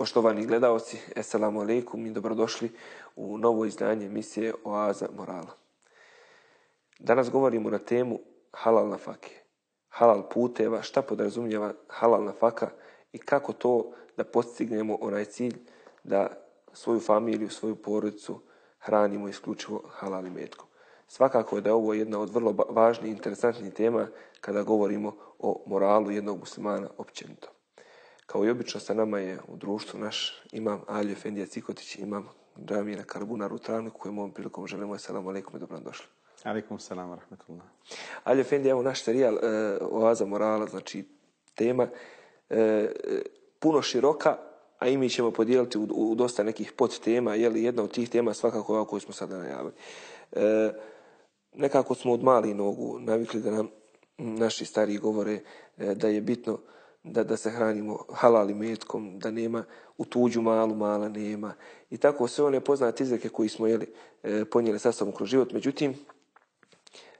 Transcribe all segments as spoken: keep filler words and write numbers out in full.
Poštovani gledaoci, eselamu alejkum i dobrodošli u novo izdanje emisije Oaza morala. Danas govorimo na temu halal nafake, halal puteva, šta podrazumijeva halal nafaka i kako to da postignemo onaj cilj da svoju familiju, svoju porodicu hranimo isključivo halal imetkom. Svakako je da je ovo jedna od vrlo važnih i interesantnih tema kada govorimo o moralu jednog muslimana općenito. Kao i obično sa nama je u društvu naš imam Alija Efendija Cikotić, imam džamije Karabunar u Travniku, kojem ovom prilikom želimo eselamu alejkum i dobrodošli. Alejkum selam wa rahmetullah. Alija Efendija, evo naš serijal e, Oaza morala, znači tema e, puno široka, a i mi ćemo podijeliti u, u dosta nekih podtema, je li jedna od tih tema svakako ova koju smo sada najavili. E, nekako smo od malih nogu navikli da nam naši stariji govore e, da je bitno Da, da se hranimo halal imetkom, da nema u tuđu malu mala nema. I tako sve one poznate izreke koji smo jeli, e, ponijeli sa sobom kroz život. Međutim,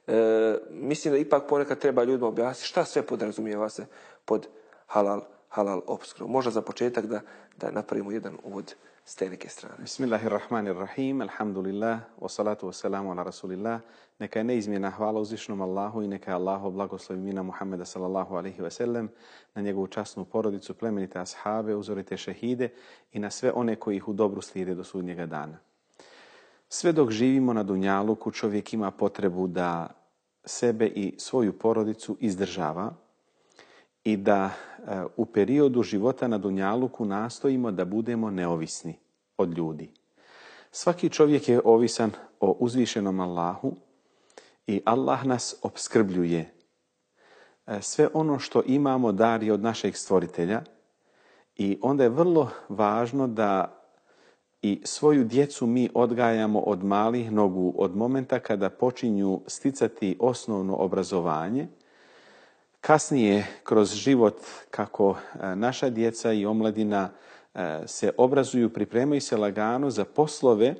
e, mislim da ipak ponekad treba ljudima objasniti šta sve podrazumijeva se pod halal, halal opskrbom. Možda za početak da, da napravimo jedan uvod s te neke strane. Bismillahirrahmanirrahim, alhamdulillah, wa salatu wa salamu ala rasulillah. Neka je neizmjena hvala uzvišnom Allahu i neka je Allahu blagoslovi mina Muhammeda sallallahu alaihi wa sallam, na njegovu časnu porodicu, plemenite ashabe, uzorite šehide i na sve one koji ih u dobru slijede do sudnjega dana. Sve dok živimo na dunjaluku, čovjek ima potrebu da sebe i svoju porodicu izdržava i da e, u periodu života na dunjaluku nastojimo da budemo neovisni od ljudi. Svaki čovjek je ovisan o uzvišenom Allahu i Allah nas opskrbljuje. E, sve ono što imamo dar je od našeg stvoritelja i onda je vrlo važno da i svoju djecu mi odgajamo od malih nogu, od momenta kada počinju sticati osnovno obrazovanje. Kasnije, kroz život, kako naša djeca i omladina se obrazuju, pripremaju se lagano za poslove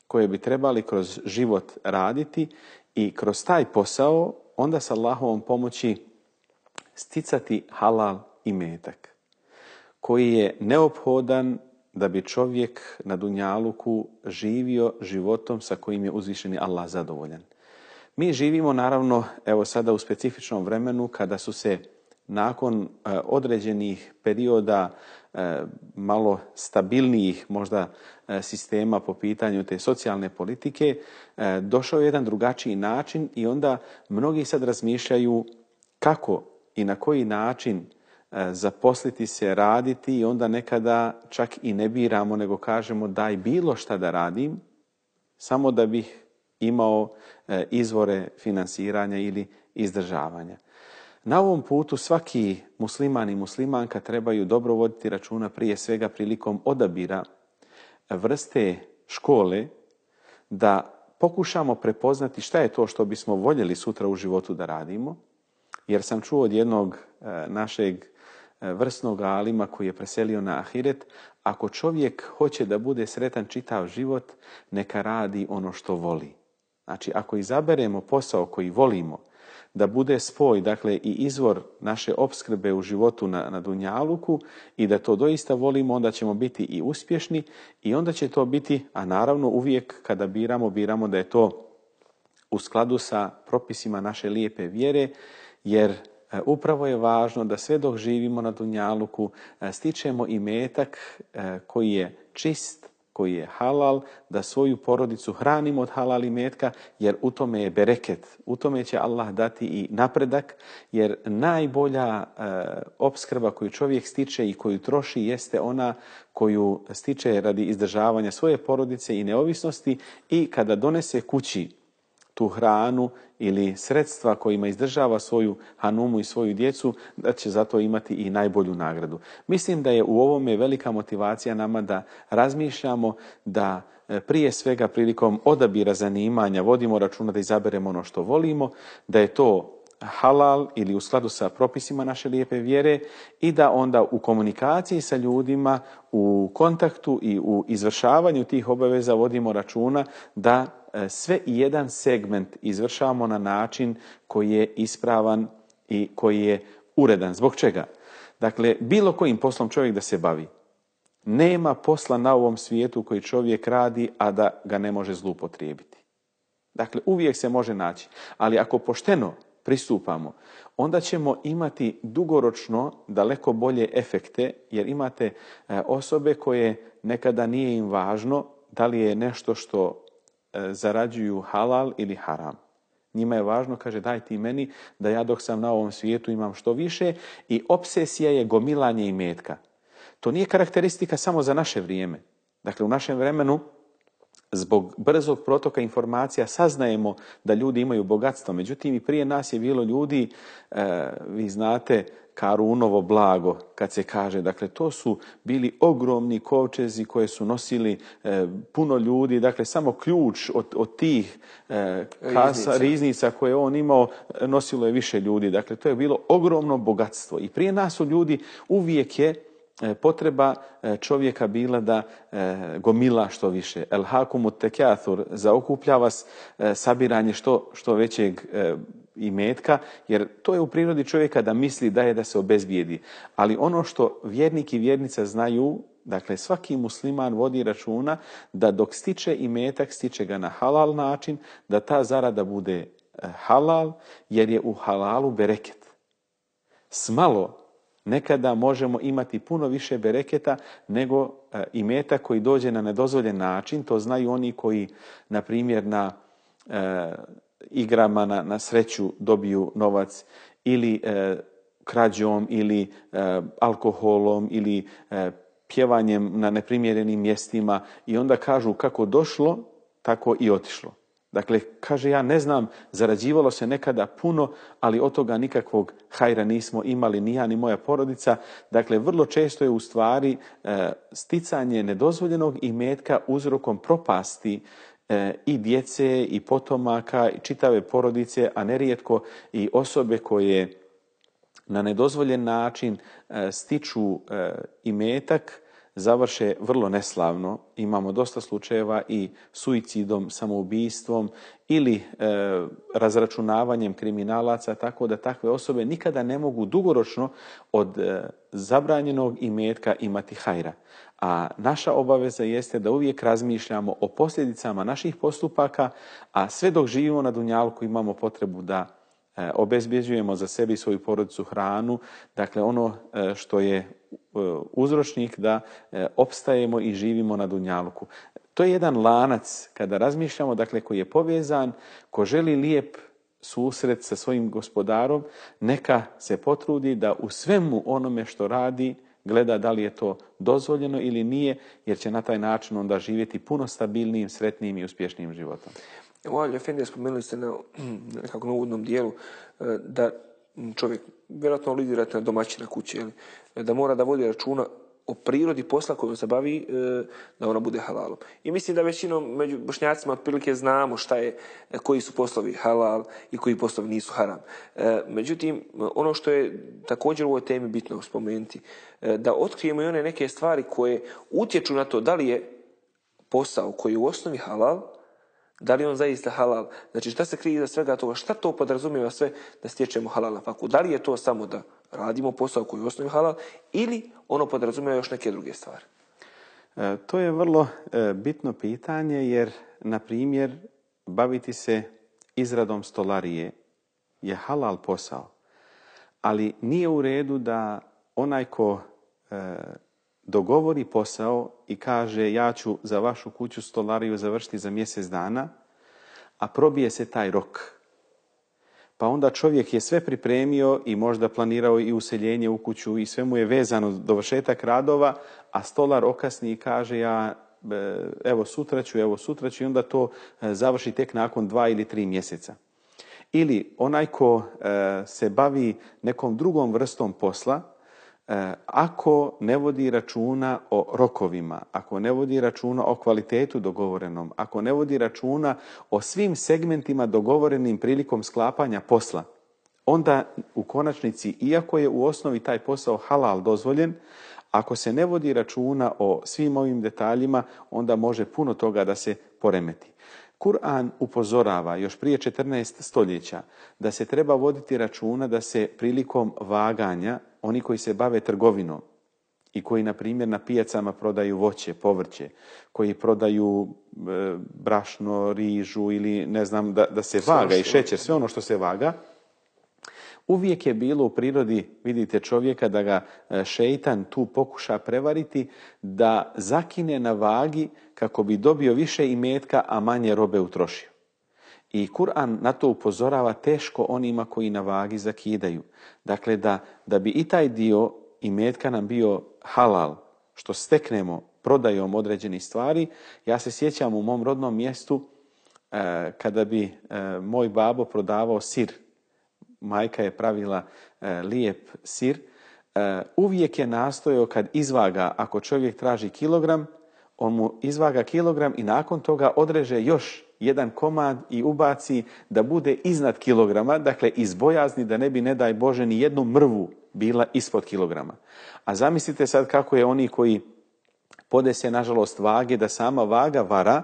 koje bi trebali kroz život raditi i kroz taj posao onda sa Allahovom pomoći sticati halal imetak, koji je neophodan da bi čovjek na dunjaluku živio životom sa kojim je uzvišeni Allah zadovoljan. Mi živimo naravno evo sada u specifičnom vremenu kada su se nakon e, određenih perioda e, malo stabilnijih možda e, sistema po pitanju te socijalne politike e, došao je jedan drugačiji način i onda mnogi sad razmišljaju kako i na koji način e, zaposliti se, raditi i onda nekada čak i ne biramo nego kažemo daj bilo šta da radim samo da bih imao e, izvore finansiranja ili izdržavanja. Na ovom putu svaki musliman i muslimanka trebaju dobro voditi računa prije svega prilikom odabira vrste škole, da pokušamo prepoznati šta je to što bismo voljeli sutra u životu da radimo, jer sam čuo od jednog e, našeg e, vrsnog alima koji je preselio na ahiret, ako čovjek hoće da bude sretan čitav život, neka radi ono što voli. Znači, ako izaberemo posao koji volimo, da bude spoj, dakle, i izvor naše opskrbe u životu na, na dunjaluku i da to doista volimo, onda ćemo biti i uspješni i onda će to biti, a naravno uvijek kada biramo, biramo da je to u skladu sa propisima naše lijepe vjere, jer e, upravo je važno da sve dok živimo na dunjaluku e, stičemo imetak e, koji je čist, koji je halal, da svoju porodicu hranimo od halal imetka, jer u tome je bereket, u tome će Allah dati i napredak, jer najbolja e, opskrba koju čovjek stiče i koju troši jeste ona koju stiče radi izdržavanja svoje porodice i neovisnosti i kada donese kući tu hranu ili sredstva kojima izdržava svoju hanumu i svoju djecu, da će zato imati i najbolju nagradu. Mislim da je u ovome velika motivacija nama da razmišljamo da prije svega prilikom odabira zanimanja vodimo računa da izaberemo ono što volimo, da je to halal ili u skladu sa propisima naše lijepe vjere i da onda u komunikaciji sa ljudima, u kontaktu i u izvršavanju tih obaveza vodimo računa da sve i jedan segment izvršavamo na način koji je ispravan i koji je uredan. Zbog čega? Dakle, bilo kojim poslom čovjek da se bavi, Nema posla na ovom svijetu koji čovjek radi, a da ga ne može zloupotrijebiti. Dakle, uvijek se može naći. Ali ako pošteno pristupamo, onda ćemo imati dugoročno daleko bolje efekte, jer imate osobe koje nekada nije im važno da li je nešto što zarađuju halal ili haram. Njima je važno, kaže, daj ti meni da ja dok sam na ovom svijetu imam što više, i obsesija je gomilanje imetka. To nije karakteristika samo za naše vrijeme. Dakle, u našem vremenu, zbog brzog protoka informacija, saznajemo da ljudi imaju bogatstvo. Međutim, i prije nas je bilo ljudi, e, vi znate, Karunovo blago, kad se kaže. Dakle, to su bili ogromni kovčezi koje su nosili e, puno ljudi. Dakle, samo ključ od, od tih e, kasa, riznica. riznica koje on imao, nosilo je više ljudi. Dakle, to je bilo ogromno bogatstvo. I prije nas su ljudi, uvijek je potreba čovjeka bila da gomila što više. El hakumu tekathur, zaokuplja vas sabiranje što, što većeg imetka, jer to je u prirodi čovjeka da misli da je da se obezbijedi. Ali ono što vjernik i vjernica znaju, dakle svaki musliman vodi računa da dok stiče imetak, stiče ga na halal način, da ta zarada bude halal, jer je u halalu bereket. Smalo nekada možemo imati puno više bereketa nego e, imetak koji dođe na nedozvoljen način. To znaju oni koji, na primjer, na e, igrama na, na sreću dobiju novac, ili e, krađom, ili e, alkoholom, ili e, pjevanjem na neprimjerenim mjestima, i onda kažu kako došlo, tako i otišlo. Dakle, kaže, ja ne znam, zarađivalo se nekada puno, ali od toga nikakvog hajra nismo imali ni ja ni moja porodica. Dakle, vrlo često je u stvari e, sticanje nedozvoljenog imetka uzrokom propasti e, i djece i potomaka i čitave porodice, a nerijetko i osobe koje na nedozvoljen način e, stiču e, imetak, završe vrlo neslavno. Imamo dosta slučajeva i suicidom, samoubistvom ili e, razračunavanjem kriminalaca, tako da takve osobe nikada ne mogu dugoročno od e, zabranjenog imetka imati hajra. A naša obaveza jeste da uvijek razmišljamo o posljedicama naših postupaka, a sve dok živimo na dunjalku imamo potrebu da e, obezbjeđujemo za sebi i svoju porodicu hranu, dakle ono e, što je uzročnik da e, opstajemo i živimo na dunjaluku. To je jedan lanac kada razmišljamo, dakle koji je povezan. Ko želi lijep susret sa svojim gospodarom, neka se potrudi da u svemu onome što radi gleda da li je to dozvoljeno ili nije, jer će na taj način onda živjeti puno stabilnijim, sretnijim i uspješnijim životom. Evo, Aljo Efendija, spomenuli ste na nekako na uvodnom dijelu da čovjek vjerojatno lidirate na domaćina kuće, jel? Da mora da vodi računa o prirodi posla kojom se bavi, da ona bude halalom. I mislim da većinom među Bošnjacima otprilike znamo šta je, koji su poslovi halal i koji poslovi nisu haram. Međutim, ono što je također u ovoj temi bitno spomenuti, da otkrijemo i one neke stvari koje utječu na to da li je posao koji je u osnovi halal, da li on zaista halal. Znači, šta se krije iza svega toga, šta to podrazumijeva sve da stječemo halal na faku. Da li je to samo da radimo posao koji je u osnovi halal, ili ono podrazumijeva još neke druge stvari? E, to je vrlo e, bitno pitanje, jer, na primjer, baviti se izradom stolarije je halal posao, ali nije u redu da onaj ko e, dogovori posao i kaže ja ću za vašu kuću stolariju završiti za mjesec dana, a probije se taj rok. Pa onda čovjek je sve pripremio i možda planirao i useljenje u kuću i sve mu je vezano dovršetak radova, a stolar okasni i kaže ja evo sutra ću, evo sutra ću, i onda to završi tek nakon dva ili tri mjeseca. Ili onaj ko se bavi nekom drugom vrstom posla, ako ne vodi računa o rokovima, ako ne vodi računa o kvalitetu dogovorenom, ako ne vodi računa o svim segmentima dogovorenim prilikom sklapanja posla, onda u konačnici, iako je u osnovi taj posao halal dozvoljen, ako se ne vodi računa o svim ovim detaljima, onda može puno toga da se poremeti. Kur'an upozorava još prije četrnaest stoljeća da se treba voditi računa da se prilikom vaganja oni koji se bave trgovinom i koji, na primjer, na pijacama prodaju voće, povrće, koji prodaju e, brašno, rižu ili ne znam, da, da se vaga i šećer, sve ono što se vaga, uvijek je bilo u prirodi, vidite, čovjeka da ga šeitan tu pokuša prevariti, da zakine na vagi kako bi dobio više imetka, a manje robe utrošio. I Kur'an na to upozorava teško onima koji na vagi zakidaju. Dakle, da, da bi i taj dio imetka nam bio halal, što steknemo prodajom određenih stvari. Ja se sjećam u mom rodnom mjestu eh, kada bi eh, moj babo prodavao sir. Majka je pravila eh, lijep sir. Eh, uvijek je nastojao kad izvaga, ako čovjek traži kilogram, on mu izvaga kilogram i nakon toga odreže još jedan komad i ubaci da bude iznad kilograma, dakle iz bojazni da ne bi, ne daj Bože, ni jednu mrvu bila ispod kilograma. A zamislite sad kako je oni koji podese, nažalost, vage, da sama vaga vara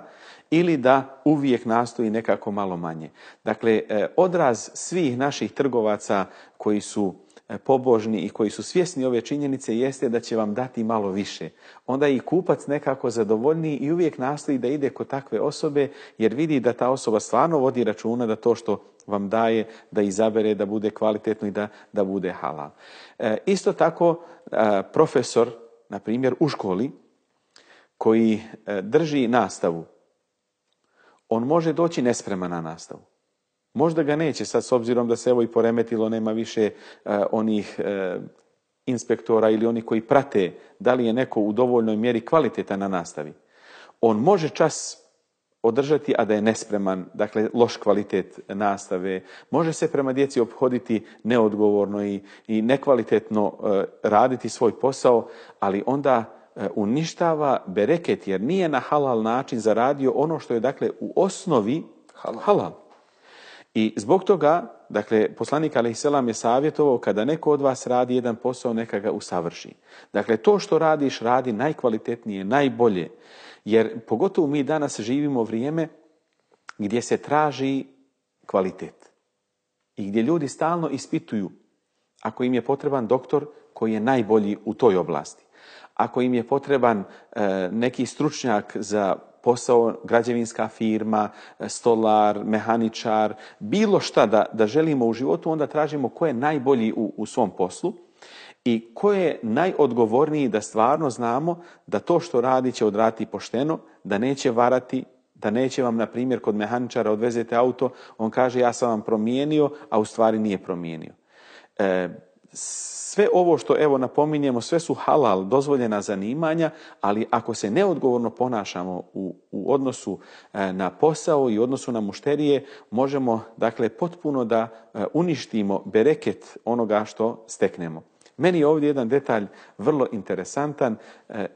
ili da uvijek nastoji nekako malo manje. Dakle, odraz svih naših trgovaca koji su pobožni i koji su svjesni ove činjenice jeste da će vam dati malo više. Onda i kupac nekako zadovoljniji i uvijek nastoji da ide kod takve osobe jer vidi da ta osoba stvarno vodi računa da to što vam daje, da izabere, da bude kvalitetno i da, da bude halal. E, isto tako, e, profesor, na primjer, u školi, koji e, drži nastavu, on može doći nespreman na nastavu. Možda ga neće sad, s obzirom da se evo i poremetilo, nema više uh, onih uh, inspektora ili oni koji prate da li je neko u dovoljnoj mjeri kvalitetan na nastavi. On može čas održati, a da je nespreman, dakle loš kvalitet nastave. Može se prema djeci ophoditi neodgovorno i, i nekvalitetno uh, raditi svoj posao, ali onda uh, uništava bereket, jer nije na halal način zaradio ono što je, dakle, u osnovi halal. halal. I zbog toga, dakle, poslanik alejhiselam je savjetovao kada neko od vas radi jedan posao, neka ga usavrši. Dakle, to što radiš, radi najkvalitetnije, najbolje. Jer pogotovo mi danas živimo vrijeme gdje se traži kvalitet. I gdje ljudi stalno ispituju ako im je potreban doktor koji je najbolji u toj oblasti. Ako im je potreban e, neki stručnjak za posao, građevinska firma, stolar, mehaničar, bilo šta da, da želimo u životu, onda tražimo ko je najbolji u, u svom poslu i ko je najodgovorniji, da stvarno znamo da to što radi će odraditi pošteno, da neće varati, da neće vam, na primjer, kod mehaničara odvezete auto, on kaže ja sam vam promijenio, a u stvari nije promijenio. E, Sve ovo što evo napominjemo, sve su halal, dozvoljena zanimanja, ali ako se neodgovorno ponašamo u, u odnosu na posao i odnosu na mušterije, možemo, dakle, potpuno da uništimo bereket onoga što steknemo. Meni je ovdje jedan detalj vrlo interesantan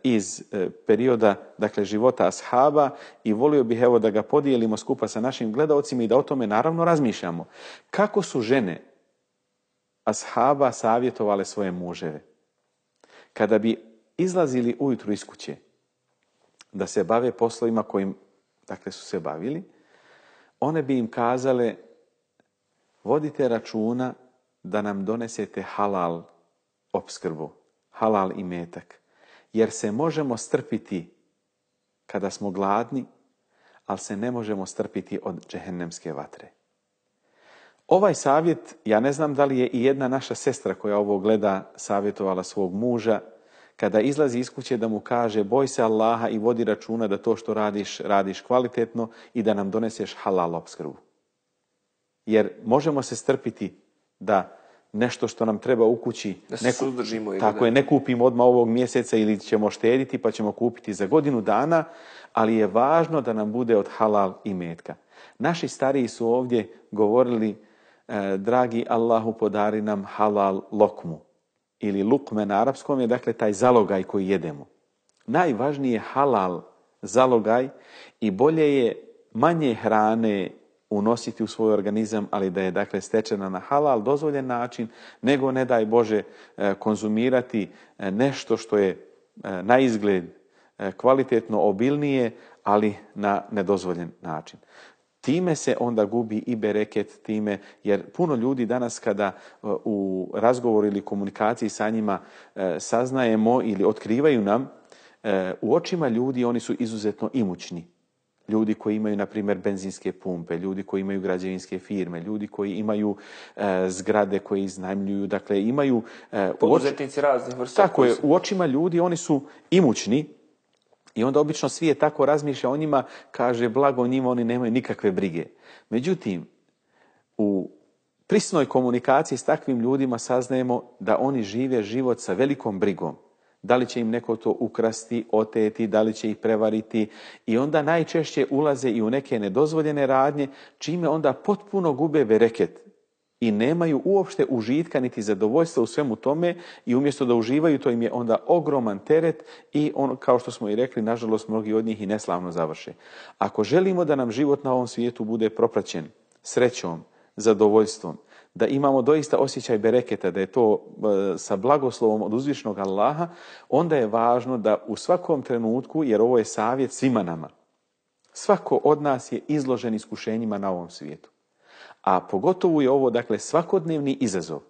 iz perioda, dakle, života ashaba i volio bih evo da ga podijelimo skupa sa našim gledaocima i da o tome naravno razmišljamo. Kako su žene ashaba savjetovale svoje muževe kada bi izlazili ujutru iz kuće da se bave poslovima kojim, dakle, su se bavili, one bi im kazale vodite računa da nam donesete halal opskrbu, halal imetak, jer se možemo strpiti kada smo gladni, ali se ne možemo strpiti od džehennemske vatre. Ovaj savjet, ja ne znam da li je i jedna naša sestra koja ovo gleda savjetovala svog muža, kada izlazi iz kuće da mu kaže boj se Allaha i vodi računa da to što radiš, radiš kvalitetno i da nam doneseš halal opskrbu. Jer možemo se strpiti da nešto što nam treba u kući, da se suzdržimo ili tako je, ne kupimo odmah ovog mjeseca ili ćemo štediti pa ćemo kupiti za godinu dana, ali je važno da nam bude od halal imetka. Naši stariji su ovdje govorili dragi Allahu podari nam halal lokmu ili lukme na arapskom je, dakle, taj zalogaj koji jedemo. Najvažnije je halal zalogaj i bolje je manje hrane unositi u svoj organizam, ali da je, dakle, stečena na halal dozvoljen način, nego, ne daj Bože, konzumirati nešto što je na izgled kvalitetno obilnije, ali na nedozvoljen način. time se onda gubi i bereket time, jer puno ljudi danas kada u razgovoru ili komunikaciji sa njima saznajemo ili otkrivaju nam, u očima ljudi oni su izuzetno imućni. Ljudi koji imaju, na primjer, benzinske pumpe, ljudi koji imaju građevinske firme, ljudi koji imaju e, zgrade koje iznajmljuju, dakle imaju... E, Poduzetnici raznih vrsta. Tako je, u očima ljudi oni su imućni i onda obično svijet tako razmišlja o njima, kaže blago njima, oni nemaju nikakve brige. Međutim, u prisnoj komunikaciji s takvim ljudima saznajemo da oni žive život sa velikom brigom. Da li će im neko to ukrasti, oteti, da li će ih prevariti i onda najčešće ulaze i u neke nedozvoljene radnje, čime onda potpuno gube bereket i nemaju uopšte užitka niti zadovoljstva u svemu tome i umjesto da uživaju, to im je onda ogroman teret i on, kao što smo i rekli, nažalost mnogi od njih i neslavno završe. Ako želimo da nam život na ovom svijetu bude propraćen srećom, zadovoljstvom, da imamo doista osjećaj bereketa, da je to sa blagoslovom od uzvišnog Allaha, onda je važno da u svakom trenutku, jer ovo je savjet svima nama, svako od nas je izložen iskušenjima na ovom svijetu. A pogotovo je ovo, dakle, svakodnevni izazov.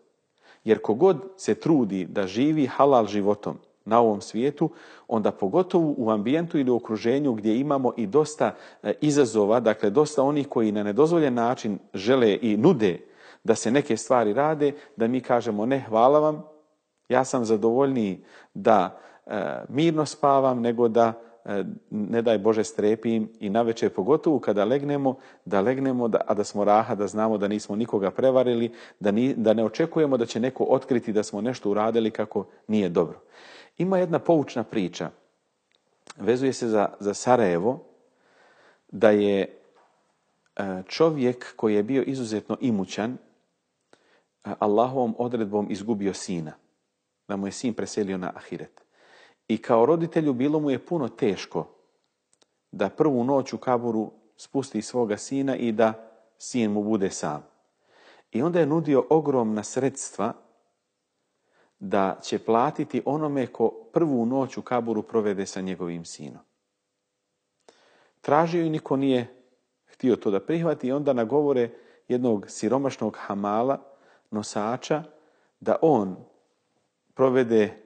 Jer kogod se trudi da živi halal životom na ovom svijetu, onda pogotovo u ambijentu ili u okruženju gdje imamo i dosta izazova, dakle, dosta onih koji na nedozvoljen način žele i nude da se neke stvari rade, da mi kažemo ne, hvala vam, ja sam zadovoljniji da e, mirno spavam nego da, e, ne daj Bože, strepim i navečer pogotovo kada legnemo, da legnemo, da, a da smo raha, da znamo da nismo nikoga prevarili, da, ni, da ne očekujemo da će neko otkriti da smo nešto uradili kako nije dobro. Ima jedna poučna priča, vezuje se za, za Sarajevo, da je e, čovjek koji je bio izuzetno imućan, Allahovom odredbom izgubio sina, da mu je sin preselio na ahiret. I kao roditelju bilo mu je puno teško da prvu noć u kaburu spusti svoga sina i da sin mu bude sam. I onda je nudio ogromna sredstva da će platiti onome ko prvu noć u kaburu provede sa njegovim sinom. Tražio i niko nije htio to da prihvati i onda nagovore jednog siromašnog hamala, nosača, da on provede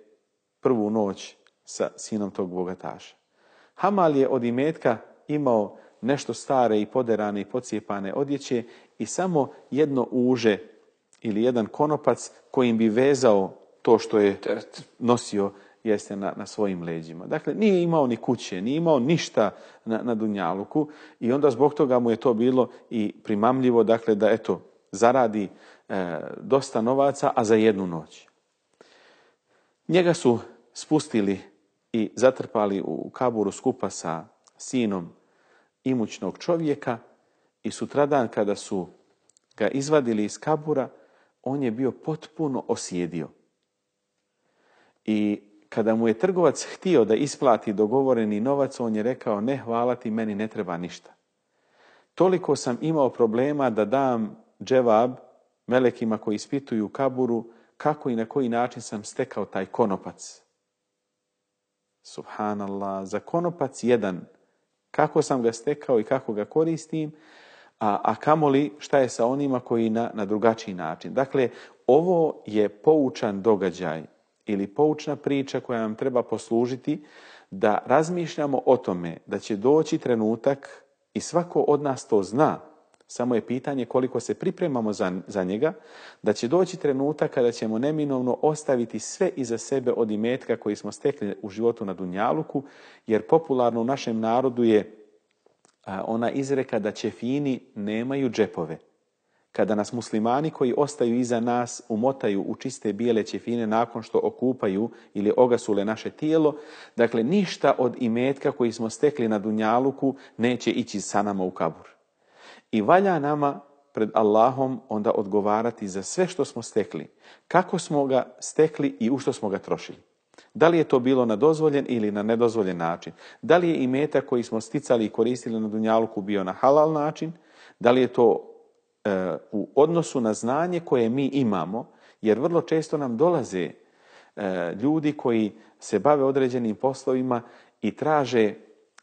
prvu noć sa sinom tog bogataša. Hamal je od imetka imao nešto stare i poderane i pocijepane odjeće i samo jedno uže ili jedan konopac kojim bi vezao to što je nosio jeste na, na svojim leđima. Dakle, nije imao ni kuće, nije imao ništa na, na dunjaluku i onda zbog toga mu je to bilo i primamljivo, dakle, da eto, zaradi e, dosta novaca, a za jednu noć. Njega su spustili i zatrpali u kaburu skupa sa sinom imućnog čovjeka i sutradan kada su ga izvadili iz kabura, on je bio potpuno osjedio. I kada mu je trgovac htio da isplati dogovoreni novac, on je rekao, ne, hvala ti, meni ne treba ništa. Toliko sam imao problema da dam dževab melekima koji ispituju u kaburu kako i na koji način sam stekao taj konopac. Subhanallah, za konopac jedan, kako sam ga stekao i kako ga koristim, a, a kamoli šta je sa onima koji na, na drugačiji način. Dakle, ovo je poučan događaj ili poučna priča koja nam treba poslužiti da razmišljamo o tome da će doći trenutak i svako od nas to zna, samo je pitanje koliko se pripremamo za, za njega, da će doći trenutak kada ćemo neminovno ostaviti sve iza sebe od imetka koji smo stekli u životu na dunjaluku, jer popularno u našem narodu je a, ona izreka da ćefini nemaju džepove. Kada nas muslimani koji ostaju iza nas umotaju u čiste bijele ćefine nakon što okupaju ili ogasule naše tijelo, dakle ništa od imetka koji smo stekli na dunjaluku neće ići sa nama u kabur. I valja nama pred Allahom onda odgovarati za sve što smo stekli, kako smo ga stekli i u što smo ga trošili. Da li je to bilo na dozvoljen ili na nedozvoljen način? Da li je imetak koji smo sticali i koristili na dunjaluku bio na halal način? Da li je to e, u odnosu na znanje koje mi imamo? Jer vrlo često nam dolaze e, ljudi koji se bave određenim poslovima i traže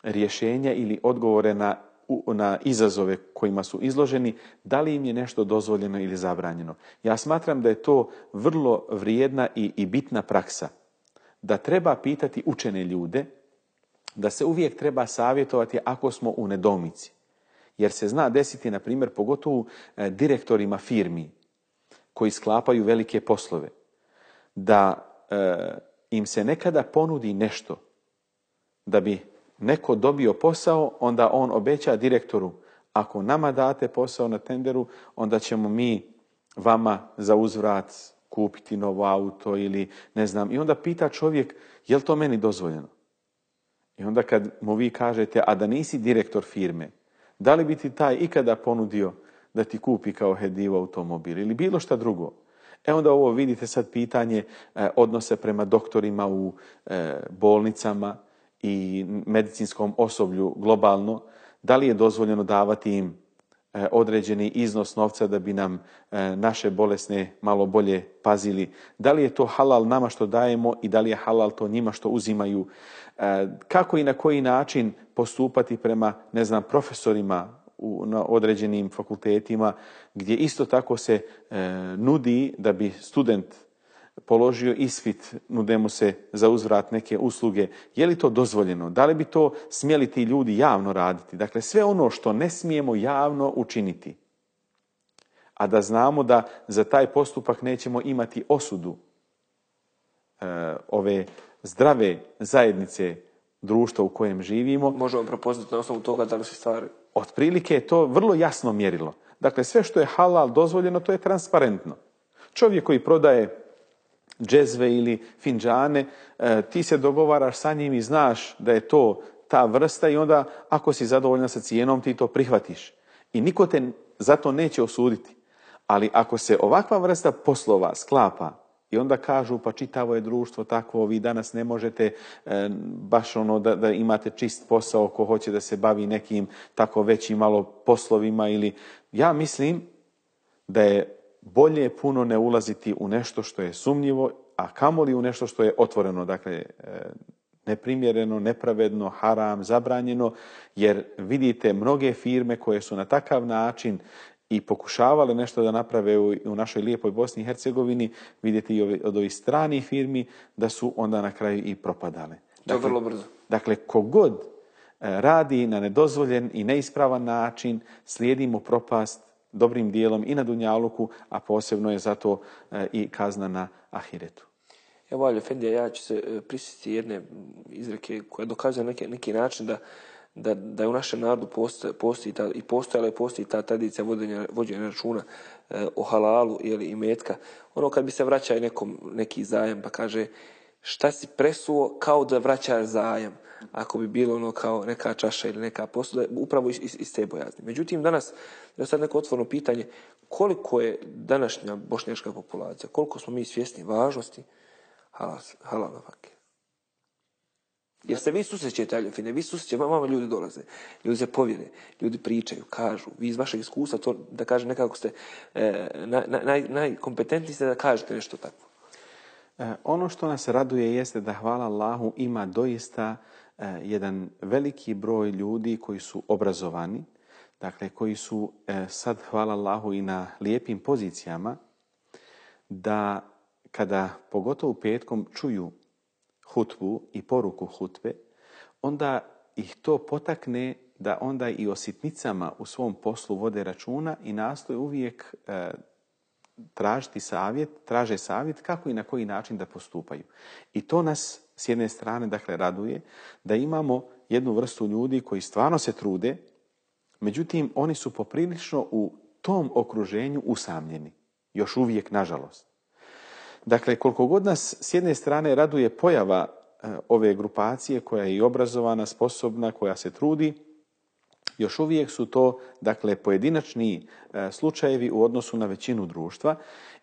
rješenja ili odgovore na na izazove kojima su izloženi, da li im je nešto dozvoljeno ili zabranjeno. Ja smatram da je to vrlo vrijedna i, i bitna praksa. Da treba pitati učene ljude, da se uvijek treba savjetovati ako smo u nedoumici. Jer se zna desiti, na primjer, pogotovo direktorima firmi koji sklapaju velike poslove, da e, im se nekada ponudi nešto da bi neko dobio posao, onda on obeća direktoru, ako nama date posao na tenderu, onda ćemo mi vama za uzvrat kupiti novo auto ili ne znam. I onda pita čovjek, je li to meni dozvoljeno? I onda kad mu vi kažete, a da nisi direktor firme, da li bi ti taj ikada ponudio da ti kupi kao hedivu automobil ili bilo šta drugo? E onda ovo vidite sad pitanje e, odnose prema doktorima u e, bolnicama i medicinskom osoblju globalno. Da li je dozvoljeno davati im e, određeni iznos novca da bi nam e, naše bolesne malo bolje pazili? Da li je to halal nama što dajemo i da li je halal to njima što uzimaju? E, kako i na koji način postupati prema, ne znam, profesorima u, na određenim fakultetima gdje isto tako se e, nudi da bi student položio ispit, nude mu se za uzvrat neke usluge. Je li to dozvoljeno? Da li bi to smjeli ti ljudi javno raditi? Dakle, sve ono što ne smijemo javno učiniti, a da znamo da za taj postupak nećemo imati osudu e, ove zdrave zajednice društva u kojem živimo. Možemo prepoznati na osnovu toga da li se stvari. Otprilike je to vrlo jasno mjerilo. Dakle, sve što je halal dozvoljeno, to je transparentno. Čovjek koji prodaje džezve ili finđane, e, ti se dogovaraš sa njim i znaš da je to ta vrsta i onda ako si zadovoljan sa cijenom ti to prihvatiš. I niko te zato neće osuditi. Ali ako se ovakva vrsta poslova sklapa i onda kažu pa čitavo je društvo takvo, vi danas ne možete e, baš ono da, da imate čist posao ko hoće da se bavi nekim tako većim malo poslovima ili ja mislim da je bolje puno ne ulaziti u nešto što je sumnjivo, a kamoli u nešto što je otvoreno, dakle e, neprimjereno, nepravedno, haram, zabranjeno, jer vidite mnoge firme koje su na takav način i pokušavale nešto da naprave u, u našoj lijepoj Bosni i Hercegovini, vidite i ove, od ovih stranih firmi da su onda na kraju i propadale. Dakle, to vrlo brzo. Dakle, kogod radi na nedozvoljen i neispravan način, slijedi mu propast dobrim dijelom i na dunjaluku, a posebno je zato i kazna na ahiretu. Evo, Aljo Efendija, ja ću se prisjetiti jedne izreke koja dokazuje neki, neki način da Da, da je u našem narodu postoji, postoji ta, i postojala i postoji ta tradicija vođenja, vođenja računa e, o halalu ili i metka. Ono kad bi se vraćao nekom neki zajam pa kaže šta si presuo kao da vraćaš zajam. Ako bi bilo ono kao neka čaša ili neka posuda, upravo iz, iz te bojazni. Međutim, danas je sad neko otvoreno pitanje koliko je današnja bošnjačka populacija, koliko smo mi svjesni važnosti halal, halal nafake. Jer se vi susrećete, Aljo Efendija, vi susrećete, vama ljudi dolaze, ljudi se povjere, ljudi pričaju, kažu, vi iz vašeg iskustva, to, da kažem nekako ste e, naj, naj, najkompetentniji ste da kažete nešto takvo. E, ono što nas raduje jeste da, hvala Allahu, ima doista e, jedan veliki broj ljudi koji su obrazovani, dakle koji su e, sad, hvala Allahu, i na lijepim pozicijama, da kada pogotovo petkom čuju hutbu i poruku hutbe, onda ih to potakne da onda i o sitnicama u svom poslu vode računa i nastoje uvijek e, tražiti savjet, traže savjet kako i na koji način da postupaju. I to nas s jedne strane, dakle, raduje da imamo jednu vrstu ljudi koji stvarno se trude, međutim oni su poprilično u tom okruženju usamljeni. Još uvijek, nažalost. Dakle, koliko god nas s jedne strane raduje pojava e, ove grupacije koja je i obrazovana, sposobna, koja se trudi, još uvijek su to, dakle, pojedinačni e, slučajevi u odnosu na većinu društva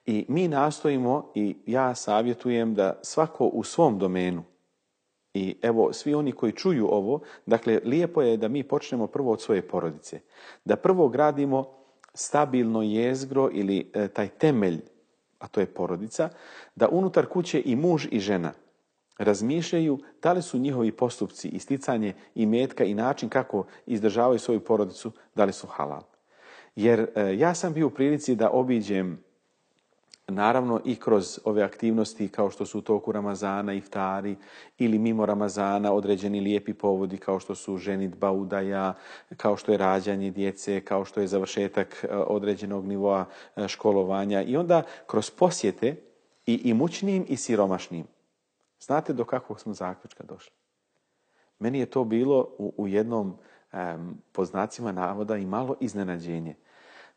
i mi nastojimo i ja savjetujem da svako u svom domenu i evo svi oni koji čuju ovo, dakle, lijepo je da mi počnemo prvo od svoje porodice, da prvo gradimo stabilno jezgro ili e, taj temelj, a to je porodica, da unutar kuće i muž i žena razmišljaju da li su njihovi postupci, isticanje imetka i način kako izdržavaju svoju porodicu, da li su halal. Jer e, ja sam bio u prilici da obiđem, naravno i kroz ove aktivnosti kao što su u toku Ramazana, iftari ili mimo Ramazana određeni lijepi povodi kao što su ženidba, udaja, kao što je rađanje djece, kao što je završetak određenog nivoa školovanja i onda kroz posjete i imućnim i siromašnim. Znate do kakvog smo zaključka došli? Meni je to bilo u, u jednom um, po znacima navoda i malo iznenađenje.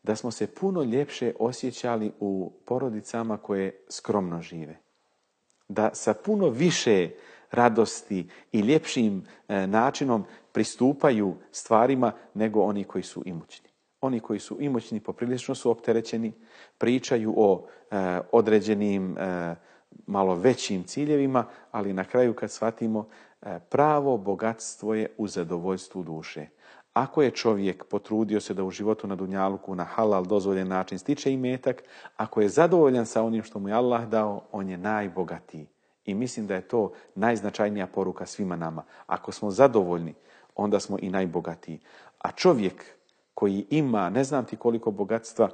Da smo se puno ljepše osjećali u porodicama koje skromno žive. Da sa puno više radosti i ljepšim e, načinom pristupaju stvarima nego oni koji su imućni. Oni koji su imućni poprilično su opterećeni, pričaju o e, određenim e, malo većim ciljevima, ali na kraju kad shvatimo e, pravo bogatstvo je u zadovoljstvu duše. Ako je čovjek potrudio se da u životu na dunjaluku na halal dozvoljen način stiče imetak, ako je zadovoljan sa onim što mu je Allah dao, on je najbogatiji. I mislim da je to najznačajnija poruka svima nama. Ako smo zadovoljni, onda smo i najbogatiji. A čovjek koji ima ne znam ti koliko bogatstva,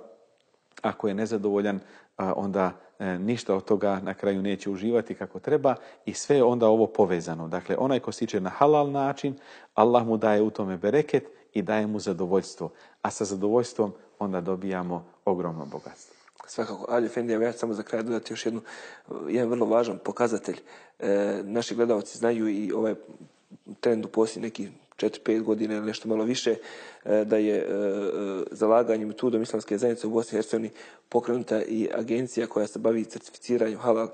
ako je nezadovoljan, onda ništa od toga na kraju neće uživati kako treba i sve je onda ovo povezano. Dakle, onaj ko stiče na halal način, Allah mu daje u tome bereket i daje mu zadovoljstvo. A sa zadovoljstvom onda dobijamo ogromno bogatstvo. Svakako, Ali Efendija, ja ću samo za kraj dodati još jednu, jedan vrlo važan pokazatelj. E, naši gledalci znaju i ovaj trend u posljednjih nekih četiri pet godina ili nešto malo više, da je zalaganjem Metodom islamske zajednice u Bosni i Hercegovini pokrenuta i agencija koja se bavi certificiranjem halal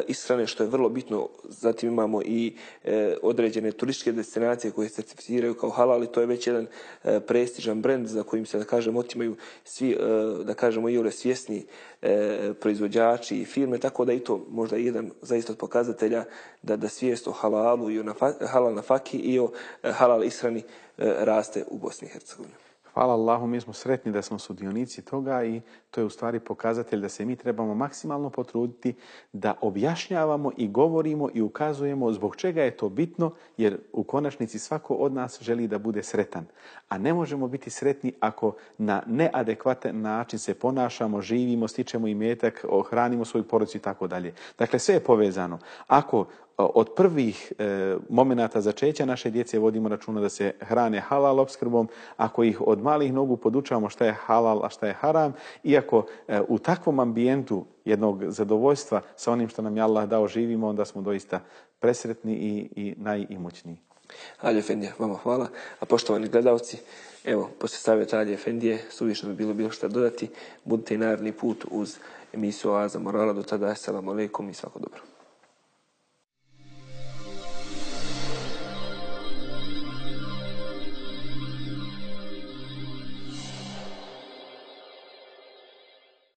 ishrane, što je vrlo bitno. Zatim imamo i određene turističke destinacije koje se certificiraju kao halal i to je već jedan prestižan brend za kojim se, da kažem, otimaju svi, da kažemo, i ove svjesni proizvođači i firme, tako da i to možda jedan zaista od pokazatelja da, da svijest o halalu i o nafa, halal nafaki i o halal ishrani raste u Bosni i Hercegovini. Hvala Allahu, mi smo sretni da smo sudionici toga i to je u stvari pokazatelj da se mi trebamo maksimalno potruditi da objašnjavamo i govorimo i ukazujemo zbog čega je to bitno, jer u konačnici svako od nas želi da bude sretan. A ne možemo biti sretni ako na neadekvatan način se ponašamo, živimo, stičemo imetak, hranimo svoju porodicu i tako dalje. Dakle, sve je povezano. Ako od prvih e, momenata začeća naše djece vodimo računa da se hrane halal opskrbom, ako ih od malih nogu podučavamo šta je halal, a šta je haram, iako e, u takvom ambijentu jednog zadovoljstva sa onim što nam je Allah dao živimo, onda smo doista presretni i, i najimućniji. Ali Efendija, vama hvala. A poštovani gledalci, evo, poslije savjeta Ali Efendije, suvišno bi bilo bilo šta dodati. Budite i naredni put uz emisiju Oaza morala. Do tada, assalamu alaikum i svako dobro.